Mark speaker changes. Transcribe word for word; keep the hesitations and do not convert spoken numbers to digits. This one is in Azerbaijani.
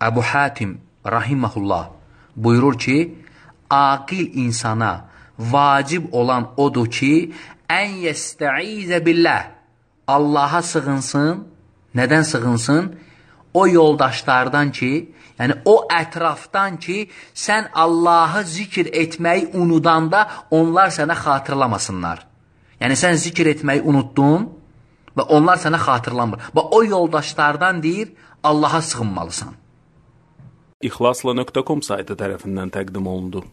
Speaker 1: Əbu Hatim rahiməhullah buyurur ki, aqil insana vacib olan odur ki, ən yəstəizə billah, Allaha sığınsın. Nədən sığınsın? O yoldaşlardan ki, yəni o ətrafdan ki, sən Allahı zikr etməyi unudanda onlar sənə xatırlamasınlar. Yəni sən zikr etməyi unuttun və onlar sənə xatırlamır. Və o yoldaşlardan deyir, Allaha sığınmalısan.
Speaker 2: İxlasla nöqtə com saytı tərəfindən təqdim olundu.